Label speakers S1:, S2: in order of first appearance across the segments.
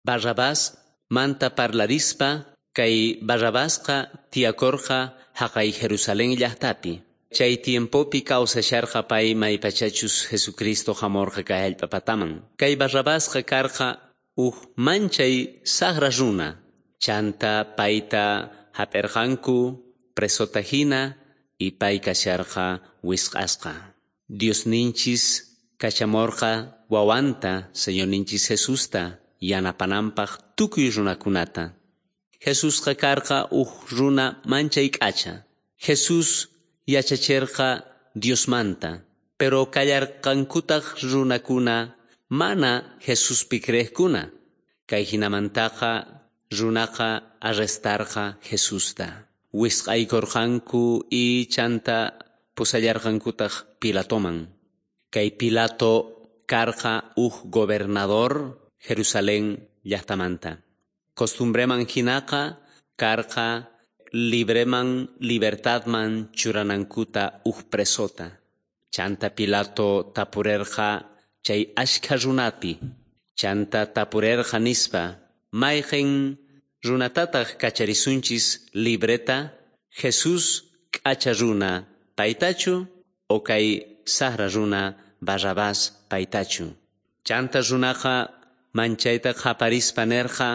S1: Barrabás manta parlarispa kay Barrabasqa tiyakorqa jaqay Jerusalén llajtapi. Chay tiempopi kawsasharqa pay maypachachus Jesucristo jamorqa kay jallp'apataman. Kay Barrabasqa karqa uj manchay sajra runa. Chanta payta jap'erqanku presota hina y pay kasharqa wisq'asqa. Diosninchis kachamorqa wawanta Señorninchis Jesusta yanapananpaj tukuy runakunata. Jesusqa karqa uj runa manchay k'acha. Jesús yachacherqa Diosmanta, pero kallarqankutaj runakuna mana Jesuspi creejkuna. Kay hinamantaqa runaqa arrestarqa Jesusta. Wisq'aykorqanku y chanta pusallarqankutaj Pilatoman. Kay Pilato karqa uj gobernador Jerusalén llajtamanta. Costumbreman hinaqa karqa libreman libertadman churanankuta uj presota. Chanta Pilato tapurerqa chay ashkha runapi. Chanta tapurerqa nispa, mayqen runatataj kacharisunchis libreta, Jesús k'acha runa paytachu o kay sajra runa Barrabás paytachu. Chanta runaqa manchayta qhaparispa nerqa,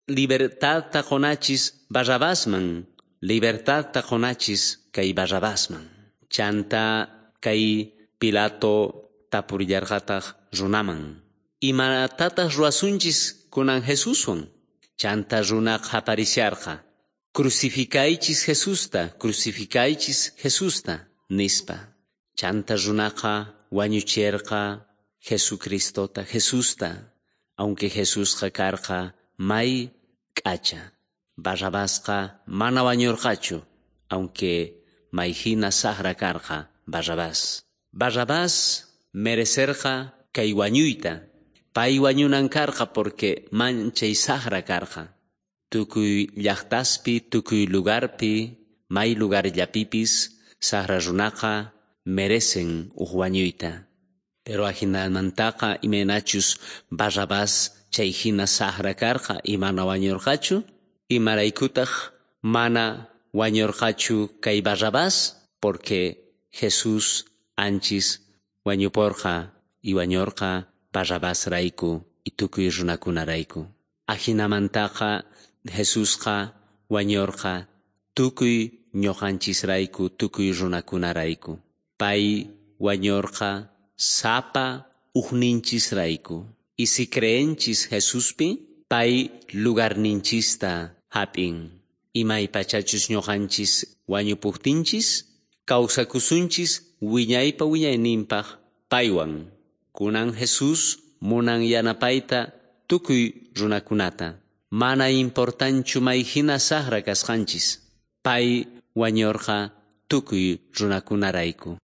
S1: libertadta qonachis Barrabasman, libertadta qonachis kay Barrabasman. Chanta kay Pilato tapurillarqataj runaman. Imatataq ruwasunchis kunan Jesuswan? Chanta runa qhaparisharqa. Crucificaychis Jesusta, crucificaychis Jesusta, nispa. Chanta runaqa wañucherqa Jesucristota, Jesusta, aunque Jesusqa karqa may k'acha. Barrabasqa mana wañurqachu, aunque may hina sajra karqa Barrabás. Barrabás merecerqa kay wañuyta. Pay wañunan karqa porque manchay sajra karqa. Tukuy llajtaspi, tukuy lugarpi, may lugarllapipis sajra runaqa merecen uj wañuyta. Pero ajinamantaqa imaynachus Barrabás chay hina sajra karqa y mana wañurqachu, imaraykutaj mana wañurqachu kay Barrabás, porque Jesús anchis wañuporqa y wañorqa Barrabásrayku y tukuy runakunarayku. Ajinamantaqa Jesusqa wañorqa tukuy ñuqanchisrayku, tukuy runakunarayku. Pay wañorqa sapa ujninchisrayku. Y si creenchis Jesuspi, pay lugarninchista jap'in. Imaypachachus ñuqanchis wañupujtinchis, kawsakusunchis wiñaypa wiñayninpaj paywan. Kunan Jesús munan yanapayta tukuy runakunata. Mana importanchu may hina sajra kasqanchis. Pay wañorqa tukuy runakunarayku.